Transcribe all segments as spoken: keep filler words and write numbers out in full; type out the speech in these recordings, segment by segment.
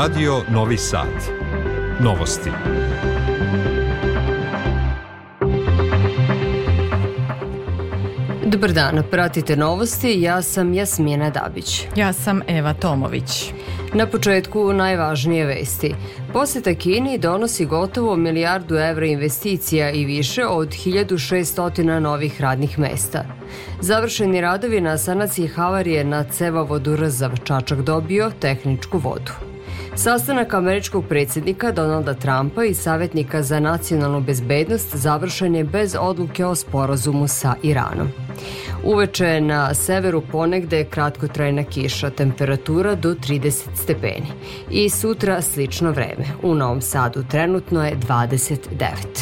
Radio Novi Sad. Novosti. Dobar dan, pratite novosti, ja sam Jasmina Dabić. Ja sam Eva Tomović. Na početku najvažnije vesti. Poseta Kini donosi gotovo milijardu evra investicija i više od hiljadu šessto novih radnih mesta. Završeni radovi na sanaciji havarije na cevovodu Rzav Čačak dobio tehničku vodu. Sastanak američkog predsjednika Donalda Trumpa i savjetnika za nacionalnu bezbednost završen je bez odluke o sporazumu sa Iranom. Uveče na severu ponegde kratkotrajna kiša, temperatura do trideset stepeni. I sutra slično vreme. U Novom Sadu trenutno je dvadeset devet.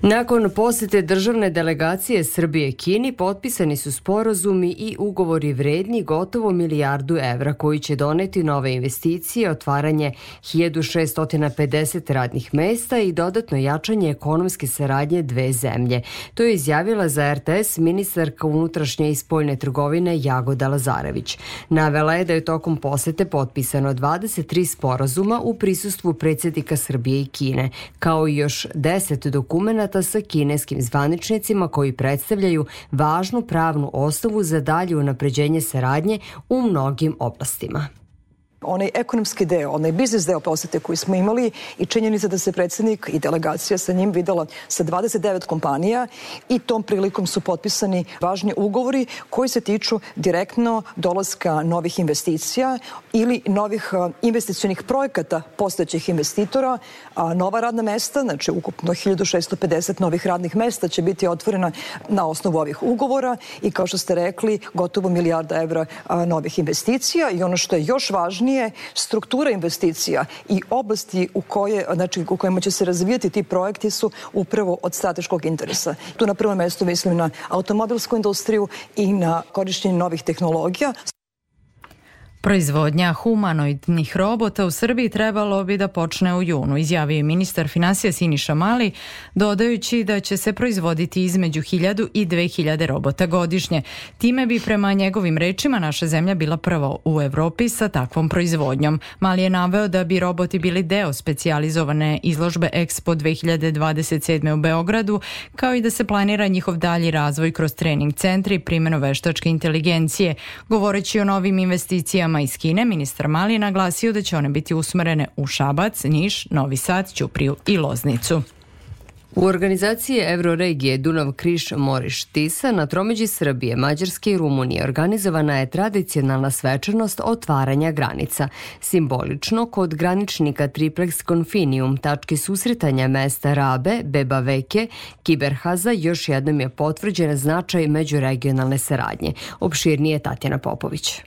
Nakon posete državne delegacije Srbije Kini potpisani su sporazumi i ugovori vredni gotovo milijardu evra koji će doneti nove investicije, otvaranje hiljadu šessto pedeset radnih mesta i dodatno jačanje ekonomske saradnje dve zemlje. To je izjavila za R T S ministarka unutrašnje i spoljne trgovine Jagoda Lazarević. Navela je da je tokom posete potpisano dvadeset tri sporazuma u prisustvu predsjednika Srbije i Kine, kao i još deset dokumenata sa kineskim zvaničnicima koji predstavljaju važnu pravnu osnovu za dalje unapređenje saradnje u mnogim oblastima. Onaj ekonomski deo, onaj biznis deo posete koji smo imali i činjenica da se predsjednik i delegacija sa njim videla sa dvadeset devet kompanija i tom prilikom su potpisani važni ugovori koji se tiču direktno dolaska novih investicija ili novih investicionih projekata postojećih investitora, a nova radna mesta, znači ukupno hiljadu šessto pedeset novih radnih mesta će biti otvorena na osnovu ovih ugovora i kao što ste rekli, gotovo milijarda evra novih investicija i ono što je još važnije, struktura investicija i oblasti u, koje, znači, u kojima će se razvijati ti projekti su upravo od strateškog interesa. Tu na prvom mjestu mislim na automobilsku industriju i na korištenje novih tehnologija. Proizvodnja humanoidnih robota u Srbiji trebalo bi da počne u junu, izjavio je ministar finansija Siniša Mali, dodajući da će se proizvoditi između hiljadu i dve hiljade robota godišnje. Time bi prema njegovim rečima naša zemlja bila prva u Evropi sa takvom proizvodnjom. Mali je naveo da bi roboti bili deo specijalizovane izložbe Expo dve hiljade dvadeset sedme u Beogradu, kao i da se planira njihov dalji razvoj kroz trening centri i primjenu veštačke inteligencije. Govoreći o novim investicijama iz Kine, ministar Mali je naglasio da će one biti usmerene u Šabac, Niš, Novi Sad, Ćupriju i Loznicu. U organizaciji Evroregije Dunav-Kriš-Moriš-Tisa na tromeđi Srbije, Mađarske i Rumunije organizovana je tradicionalna svečanost otvaranja granica. Simbolično, kod graničnika Triplex Confinium, tačke susretanja mesta Rabe, Beba Veke, Kiberhaza, još jednom je potvrđen značaj međuregionalne saradnje. Opširnije Tatjana Popović.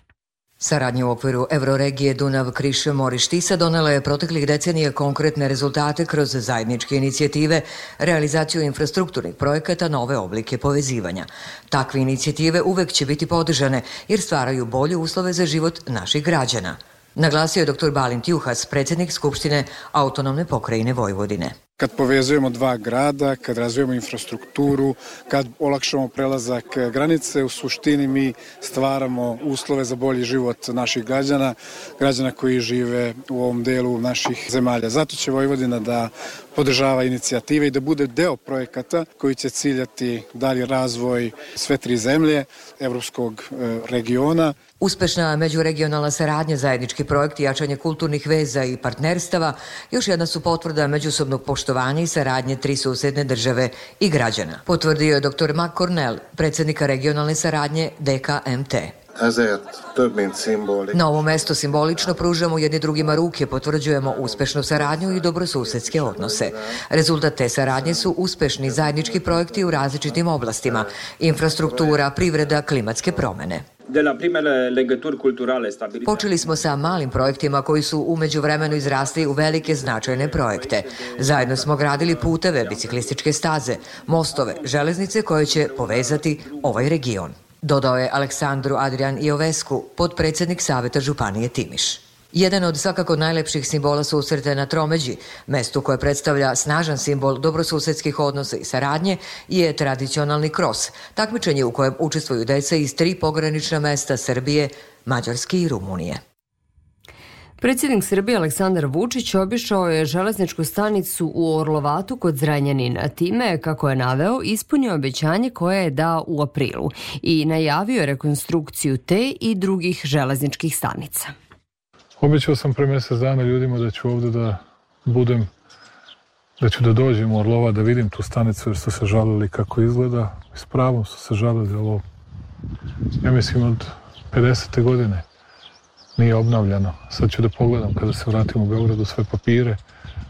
Saradnja u okviru Evroregije Dunav-Kriš-Moriš-Tisa donela je proteklih decenija konkretne rezultate kroz zajedničke inicijative, realizaciju infrastrukturnih projekata, nove oblike povezivanja. Takve inicijative uvek će biti podržane jer stvaraju bolje uslove za život naših građana. Naglasio je doktor Balint Juhas, predsjednik Skupštine Autonomne pokrajine Vojvodine. Kad povezujemo dva grada, kad razvijemo infrastrukturu, kad olakšamo prelazak granice, u suštini mi stvaramo uslove za bolji život naših građana, građana koji žive u ovom delu naših zemalja. Zato će Vojvodina da podržava inicijative i da bude deo projekata koji će ciljati dalji razvoj sve tri zemlje, evropskog regiona. Uspešna međuregionalna saradnja, zajednički projekti, jačanje kulturnih veza i partnerstava još jedna su potvrda međusobnog poštovanja i saradnje tri susedne države i građana. Potvrdio je doktor Mark Cornell, predsjednika regionalne saradnje D K M T. Na ovom mestu simbolično pružamo jedni drugima ruke, potvrđujemo uspešnu saradnju i dobrosusedske odnose. Rezultat te saradnje su uspešni zajednički projekti u različitim oblastima, infrastruktura, privreda, klimatske promene. Počeli smo sa malim projektima koji su u međuvremenu izrasli u velike značajne projekte. Zajedno smo gradili puteve, biciklističke staze, mostove, železnice koje će povezati ovaj region. Dodao je Aleksandru Adrian Iovescu, potpredsjednik Saveta Županije Timiš. Jedan od svakako najlepših simbola susreta na tromeđi, mestu koje predstavlja snažan simbol dobrosusedskih odnosa i saradnje, je tradicionalni kros, takmičenje u kojem učestvuju deca iz tri pogranična mesta Srbije, Mađarske i Rumunije. Predsjednik Srbije Aleksandar Vučić obišao je železničku stanicu u Orlovatu kod Zrenjanina. Time, kako je naveo, ispunio obećanje koje je dao u aprilu i najavio rekonstrukciju te i drugih železničkih stanica. Obećao sam pre mjesec dana ljudima da ću ovdje da budem, da ću da dođem u Orlova, da vidim tu stanicu jer su se žalili kako izgleda. S pravom su se žalili ovo, ja mislim od pedesete godine. Nije obnavljano. Sad ću da pogledam kada se vratim u Beogradu sve papire.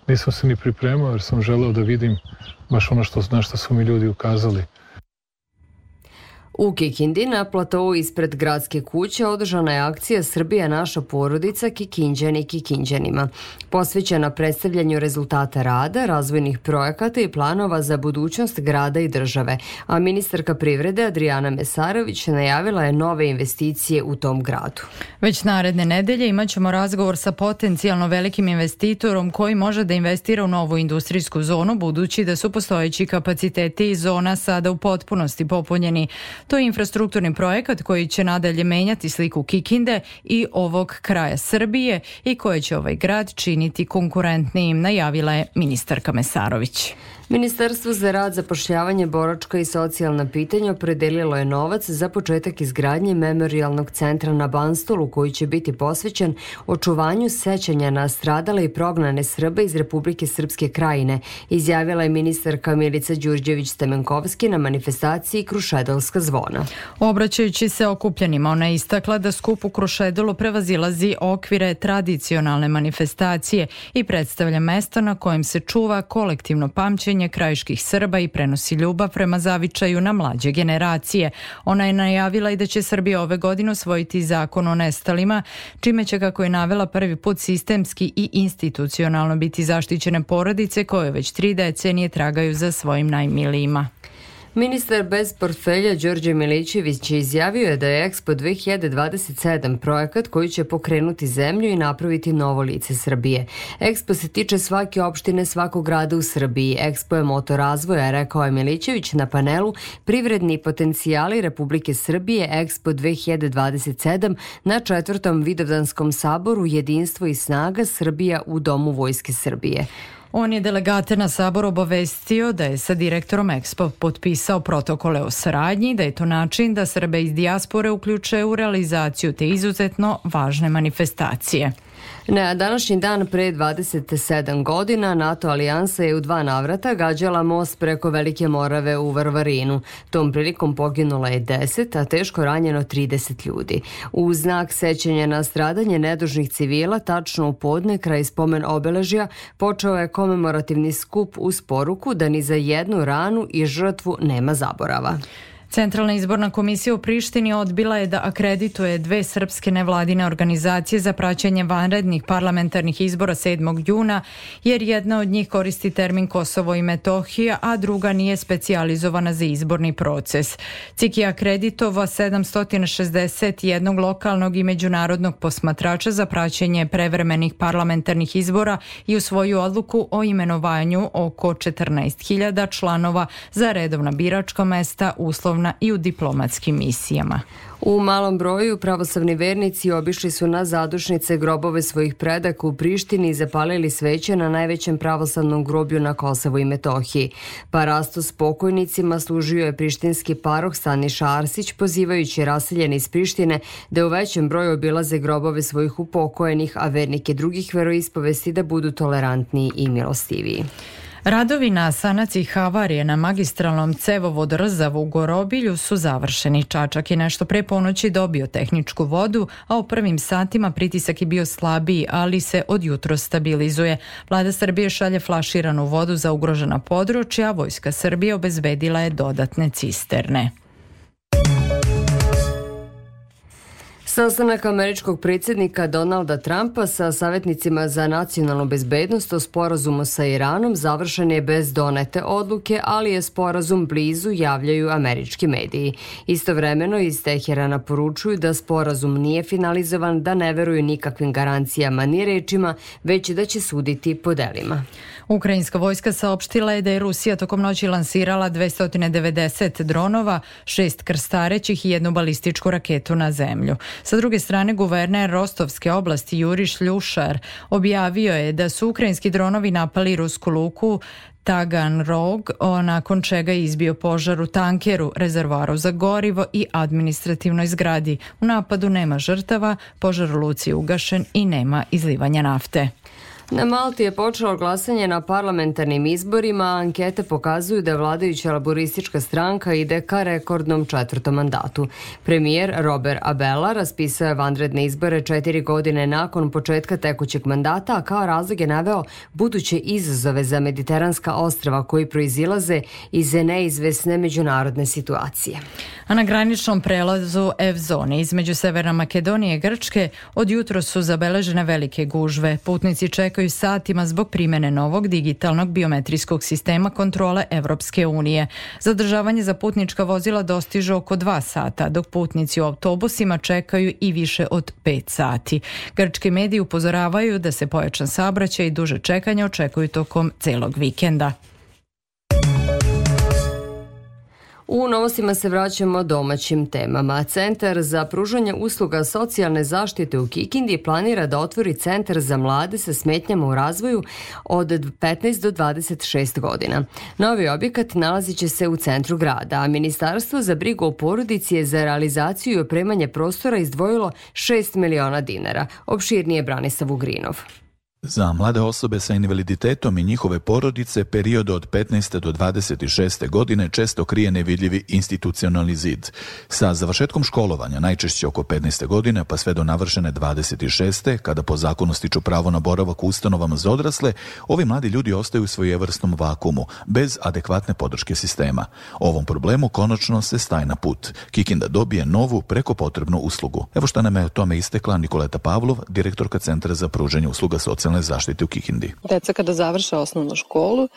Nisam se ni pripremao jer sam želeo da vidim baš ono što, na što su mi ljudi ukazali. U Kikindi na platovu ispred gradske kuće održana je akcija Srbija naša porodica Kikinđani Kikinđanima, posvećena predstavljanju rezultata rada, razvojnih projekata i planova za budućnost grada i države, a ministarka privrede Adrijana Mesarović najavila je nove investicije u tom gradu. Već naredne nedelje imat ćemo razgovor sa potencijalno velikim investitorom koji može da investira u novu industrijsku zonu, budući da su postojeći kapaciteti zona sada u potpunosti popunjeni. To je infrastrukturni projekat koji će nadalje menjati sliku Kikinde i ovog kraja Srbije i koje će ovaj grad činiti konkurentnijim, najavila je ministarka Mesarović. Ministarstvo za rad, zapošljavanje, boračka i socijalna pitanja opredelilo je novac za početak izgradnje memorijalnog centra na Banstolu koji će biti posvećen očuvanju sećanja na stradale i prognane Srbe iz Republike Srpske Krajine, izjavila je ministarka Milica Đurđević-Stamenkovski na manifestaciji Krušedolska zvona. Obraćajući se okupljenima, ona je istakla da skup u Krušedolu prevazilazi okvire tradicionalne manifestacije i predstavlja mesto na kojem se čuva kolektivno pamćenje krajiških Srba i prenosi ljubav prema zavičaju na mlađe generacije. Ona je najavila i da će Srbija ove godine usvojiti zakon o nestalima, čime će, kako je navela, prvi put sistemski i institucionalno biti zaštićene porodice koje već tri decenije tragaju za svojim najmilijima. Ministar bez portfelja Đorđe Milićević izjavio je da je Expo dve hiljade dvadeset sedam projekat koji će pokrenuti zemlju i napraviti novo lice Srbije. Expo se tiče svake opštine, svakog grada u Srbiji. Expo je motor razvoja, rekao je Milićević na panelu Privredni potencijali Republike Srbije Expo dve hiljade dvadeset sedam na četvrtom Vidovdanskom saboru Jedinstvo i snaga Srbija u Domu Vojske Srbije. On je delegate na sabor obavestio da je sa direktorom Expo potpisao protokole o saradnji, da je to način da Srbe iz dijaspore uključe u realizaciju te izuzetno važne manifestacije. Na današnji dan pre dvadeset sedam godina NATO alijansa je u dva navrata gađala most preko Velike Morave u Varvarinu. Tom prilikom poginulo je deset, a teško ranjeno trideset ljudi. U znak sećanja na stradanje nedužnih civila, tačno u podne kraj spomen obeležja, počeo je komemorativni skup uz poruku da ni za jednu ranu i žrtvu nema zaborava. Centralna izborna komisija u Prištini odbila je da akredituje dve srpske nevladine organizacije za praćenje vanrednih parlamentarnih izbora sedmog juna, jer jedna od njih koristi termin Kosovo i Metohija, a druga nije specijalizovana za izborni proces. C I K je akreditovao sedamsto šezdeset jedan lokalnog i međunarodnog posmatrača za praćenje prevremenih parlamentarnih izbora i u svoju odluku o imenovanju oko četrnaest hiljada članova za redovna biračka mesta, uslovna i u diplomatskim misijama. U malom broju pravoslavni vernici obišli su na zadušnice grobove svojih predaka u Prištini i zapalili sveće na najvećem pravoslavnom groblju na Kosovu i Metohiji. Parastu s pokojnicima služio je prištinski paroh Staniša Arsić, pozivajući raseljene iz Prištine da u većem broju obilaze grobove svojih upokojenih, a vernike drugih veroispovesti da budu tolerantniji i milostiviji. Radovi na sanaciji havarije na magistralnom cevovodu Rzav u Gorobilju su završeni. Čačak je nešto pre ponoći dobio tehničku vodu, a u prvim satima pritisak je bio slabiji, ali se od jutros stabilizuje. Vlada Srbije šalje flaširanu vodu za ugrožena područja, a Vojska Srbije obezbedila je dodatne cisterne. Sastanak američkog predsjednika Donalda Trumpa sa savjetnicima za nacionalnu bezbednost o sporazumu sa Iranom završen je bez donete odluke, ali je sporazum blizu, javljaju američki mediji. Istovremeno iz Teherana poručuju da sporazum nije finalizovan, da ne veruju nikakvim garancijama ni rečima, već da će suditi po delima. Ukrajinska vojska saopštila je da je Rusija tokom noći lansirala dvesta devedeset dronova, šest krstarećih i jednu balističku raketu na zemlju. Sa druge strane, guverner Rostovske oblasti Juri Šljušar objavio je da su ukrajinski dronovi napali rusku luku Taganrog, nakon čega je izbio požar u tankeru, rezervoaru za gorivo i administrativnoj zgradi. U napadu nema žrtava, požar u luci je ugašen i nema izlivanja nafte. Na Malti je počelo glasanje na parlamentarnim izborima, a ankete pokazuju da vladajuća laboristička stranka ide ka rekordnom četvrtom mandatu. Premijer Robert Abela raspisao je vanredne izbore četiri godine nakon početka tekućeg mandata, a kao razlog je naveo buduće izazove za mediteranska ostrva koji proizilaze iz neizvesne međunarodne situacije. A na graničnom prelazu Evzone između Severne Makedonije i Grčke od jutros su zabeležene velike gužve. Putnici čekaju satima zbog primjene novog digitalnog biometrijskog sistema kontrole Evropske unije. Zadržavanje za putnička vozila dostiže oko dva sata, dok putnici u autobusima čekaju i više od pet sati. Grčki mediji upozoravaju da se pojačan saobraćaj i duže čekanje očekuju tokom celog vikenda. U novostima se vraćamo domaćim temama. Centar za pružanje usluga socijalne zaštite u Kikindi planira da otvori centar za mlade sa smetnjama u razvoju od petnaest do dvadeset šest godina. Novi objekat nalazit će se u centru grada, a Ministarstvo za brigu o porodici je za realizaciju i opremanje prostora izdvojilo šest miliona dinara. Opširnije Branislav Ugrinov. Za mlade osobe sa invaliditetom i njihove porodice period od petnaeste do dvadeset šeste godine često krije nevidljivi institucionalni zid. Sa završetkom školovanja, najčešće oko petnaeste godine, pa sve do navršene dvadeset šeste, kada po zakonu stiču pravo na boravak u ustanovama za odrasle, ovi mladi ljudi ostaju u svojevrsnom vakumu, bez adekvatne podrške sistema. Ovom problemu konačno se staje na put. Kikinda dobije novu preko potrebnu uslugu. Evo šta nam je o tome istekla Nikoleta Pavlov, direktorka Centra za pružanje usluga socijalne zaštite u Kikindi. Deca kada završe osnovnu školu,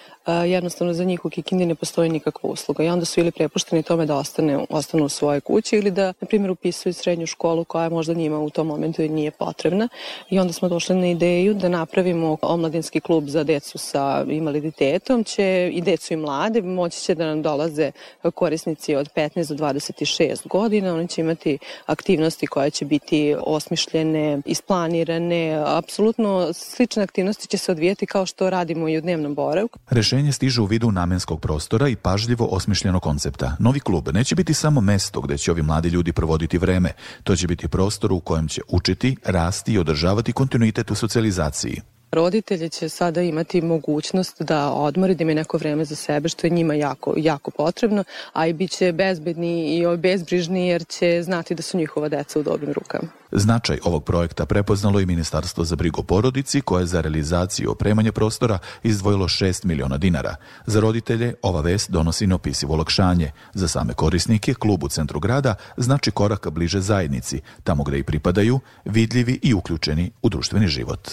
jednostavno za njih u Kikindi ne postoji nikakva usluga i onda su ili prepušteni tome da ostane, ostanu u svojoj kući ili da, na primjer, upisuju srednju školu koja možda njima u tom momentu nije potrebna. I onda smo došli na ideju da napravimo omladinski klub za decu sa invaliditetom, će i decu i mlade, moći će da nam dolaze korisnici od petnaest do dvadeset šest godina, oni će imati aktivnosti koje će biti osmišljene, isplanirane, apsolutno slične aktivnosti će se odvijeti kao što radimo i u dnevnom boravku. Rešenje stiže u vidu namenskog prostora i pažljivo osmišljenog koncepta. Novi klub neće biti samo mesto gde će ovi mladi ljudi provoditi vreme. To će biti prostor u kojem će učiti, rasti i održavati kontinuitet u socijalizaciji. Roditelji će sada imati mogućnost da odmori, da imaju neko vreme za sebe, što je njima jako, jako potrebno, a i bit će bezbedni i bezbrižni jer će znati da su njihova deca u dobrim rukama. Značaj ovog projekta prepoznalo i Ministarstvo za brigu o porodici, koje je za realizaciju opremanja prostora izdvojilo šest miliona dinara. Za roditelje ova vest donosi neopisivo olakšanje. Za same korisnike, klub u centru grada znači korak bliže zajednici, tamo gde i pripadaju, vidljivi i uključeni u društveni život.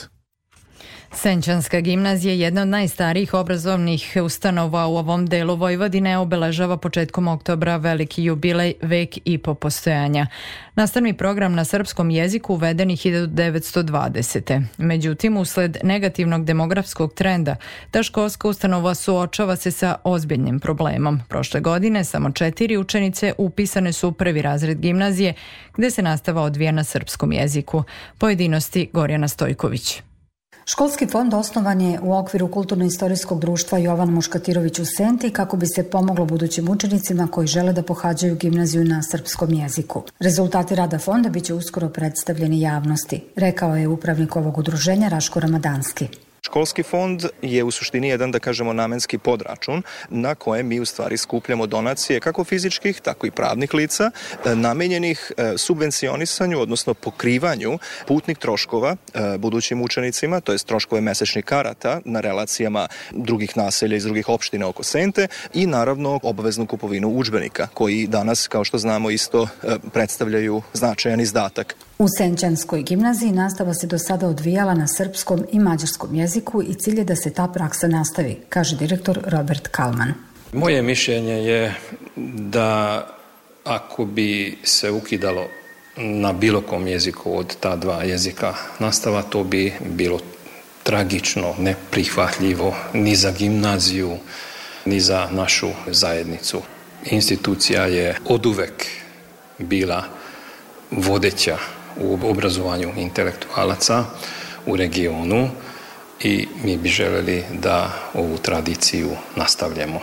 Senčanska gimnazija, jedna od najstarijih obrazovnih ustanova u ovom delu Vojvodine, obeležava početkom oktobra veliki jubilej, vek i po postojanja. Nastavni program na srpskom jeziku uveden je hiljadu devetsto dvadesete. Međutim, usled negativnog demografskog trenda, ta školska ustanova suočava se sa ozbiljnim problemom. Prošle godine samo četiri učenice upisane su u prvi razred gimnazije, gde se nastava odvija na srpskom jeziku. Pojedinosti Gorjana Stojković. Školski fond osnovan je u okviru Kulturno-istorijskog društva Jovan Muškatirović u Senti kako bi se pomoglo budućim učenicima koji žele da pohađaju gimnaziju na srpskom jeziku. Rezultati rada fonda biće uskoro predstavljeni javnosti, rekao je upravnik ovog udruženja Raško Ramadanski. Školski fond je u suštini jedan, da kažemo, namenski podračun na kojem mi u stvari skupljamo donacije kako fizičkih, tako i pravnih lica, namenjenih subvencionisanju, odnosno pokrivanju putnih troškova budućim učenicima, to jest troškove mesečnih karata na relacijama drugih naselja iz drugih opština oko Sente i naravno obaveznu kupovinu udžbenika, koji danas, kao što znamo, isto predstavljaju značajan izdatak. U Senčanskoj gimnaziji nastava se do sada odvijala na srpskom i mađarskom jeziku i cilj je da se ta praksa nastavi, kaže direktor Robert Kalman. Moje mišljenje je da ako bi se ukidalo na bilo kom jeziku od ta dva jezika nastava, to bi bilo tragično, neprihvatljivo ni za gimnaziju, ni za našu zajednicu. Institucija je oduvek bila vodeća u obrazovanju intelektualaca u regionu i mi bi želeli da ovu tradiciju nastavljamo.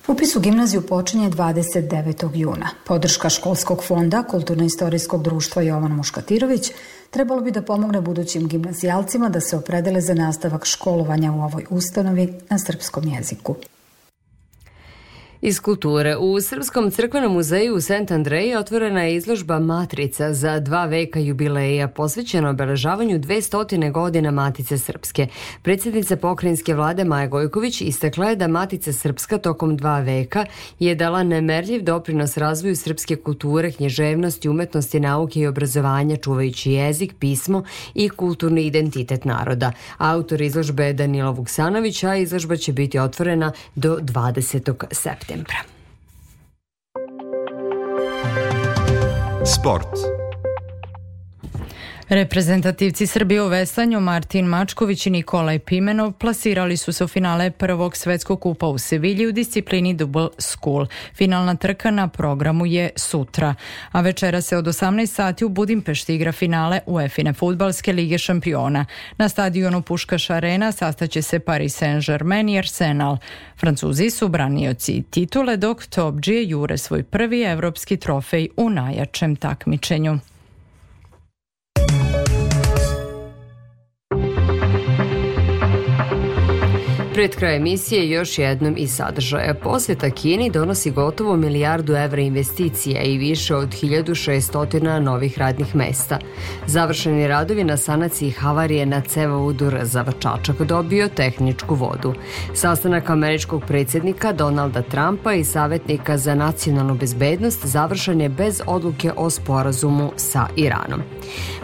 Upis u gimnaziju počinje dvadeset devetog juna. Podrška školskog fonda Kulturno-istorijskog društva Jovan Muškatirović trebalo bi da pomogne budućim gimnazijalcima da se opredele za nastavak školovanja u ovoj ustanovi na srpskom jeziku. Iz kulture. U Srpskom crkvenom muzeju u Sant Andreji otvorena je izložba Matrica za dva veka jubileja posvećena obeležavanju dvestotine godina Matice Srpske. Predsjednica pokrajinske vlade Maja Gojković istakla je da Matica Srpska tokom dva veka je dala nemerljiv doprinos razvoju srpske kulture, književnosti, umetnosti, nauke i obrazovanja, čuvajući jezik, pismo i kulturni identitet naroda. Autor izložbe je Danilo Vuksanović, a izložba će biti otvorena do dvadesetog septembra. Sport. Reprezentativci Srbije u veslanju Martin Mačković i Nikolaj Pimenov plasirali su se u finale prvog svetskog kupa u Sevilji u disciplini Double School. Finalna trka na programu je sutra, a večera se od osamnaest sati u Budimpešti igra finale UEFA fudbalske lige šampiona. Na stadionu Puškaš Arena sastaće se Paris Saint-Germain i Arsenal. Francuzi su branioci titule, dok topdžije jure svoj prvi evropski trofej u najjačem takmičenju. Pred kraj emisije još jednom iz sadržaja. Posjeta Kini donosi gotovo milijardu evra investicija i više od hiljadu šesto novih radnih mesta. Završeni radovi na sanaciji havarije na cevovodu Rzav-Čačak dobio tehničku vodu. Sastanak američkog predsjednika Donalda Trumpa i savjetnika za nacionalnu bezbednost završen je bez odluke o sporazumu sa Iranom.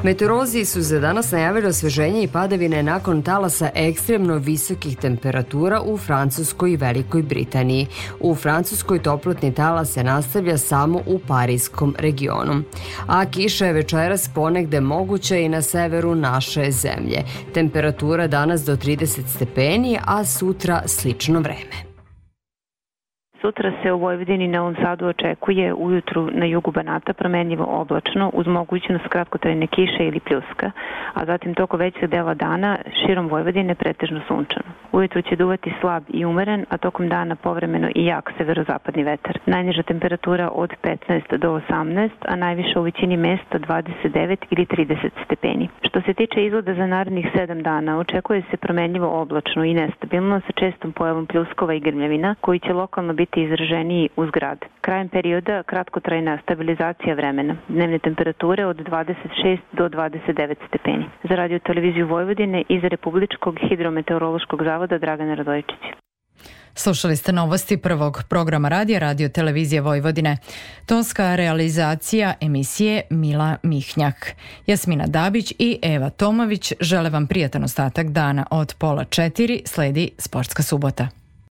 Meteorolozi su za danas najavili osveženje i padavine nakon talasa ekstremno visokih temperatura u Francuskoj i Velikoj Britaniji. U Francuskoj toplotni talas se nastavlja samo u Parijskom regionu. A kiša je večeras ponegde moguća i na severu naše zemlje. Temperatura danas do trideset stepeni, a sutra slično vreme. Sutra se u Vojvodini i Novom Sadu očekuje ujutru na jugu Banata promenljivo oblačno uz mogućnost kratkotrajne kiše ili pljuska, a zatim toko većeg dela dana širom Vojvodine pretežno sunčano. Ujutru će duvati slab i umeren, a tokom dana povremeno i jak severozapadni vetar. Najniža temperatura od petnaest do osamnaest, a najviša u većini mesta dvadeset devet ili trideset stepeni. Što se tiče izgleda za narednih sedam dana, očekuje se promenljivo oblačno i nestabilno sa čestom pojavom pljuskova i grmljavina, koji će lokalno biti izraženiji uz grad. Krajem perioda kratkotrajna stabilizacija vremena. Dnevne temperature od dvadeset šest do dvadeset devet stepeni. Za radio televiziju Vojvodine i za Republičkog hidrometeorološkog zavoda Dragana Radojičić. Slušali ste novosti prvog programa radija Radio Televizije Vojvodine. Tonska realizacija emisije Mila Mihnjak. Jasmina Dabić i Eva Tomović žele vam prijatan ostatak dana. Od pola četiri sledi Sportska subota.